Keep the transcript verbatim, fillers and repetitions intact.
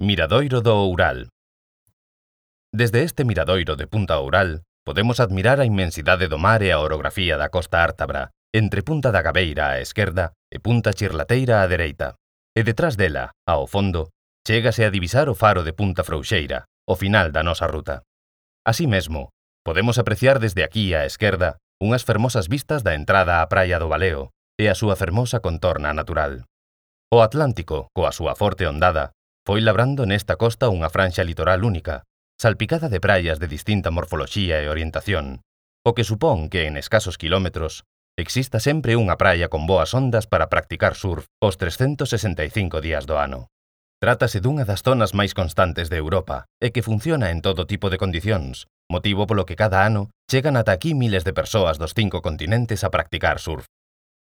Miradoiro do Oural. Desde este miradoiro de Punta Oural podemos admirar a inmensidade do mar e a orografía da costa ártabra, entre Punta da Gabeira á esquerda e Punta Chirlateira á dereita. E detrás dela, ao fondo, chégase a divisar o faro de Punta Frouxeira, o final da nosa ruta. Así mesmo, podemos apreciar desde aquí á esquerda unhas fermosas vistas da entrada á praia do Baleo e a súa fermosa contorna natural. O Atlántico, coa súa forte ondada, foi labrando nesta costa unha franxa litoral única, salpicada de praias de distinta morfoloxía e orientación, o que supón que en escasos quilómetros exista sempre unha praia con boas ondas para practicar surf os trescentos sesenta e cinco días do ano. Trátase dunha das zonas máis constantes de Europa e que funciona en todo tipo de condicións, motivo polo que cada ano chegan ata aquí miles de persoas dos cinco continentes a practicar surf.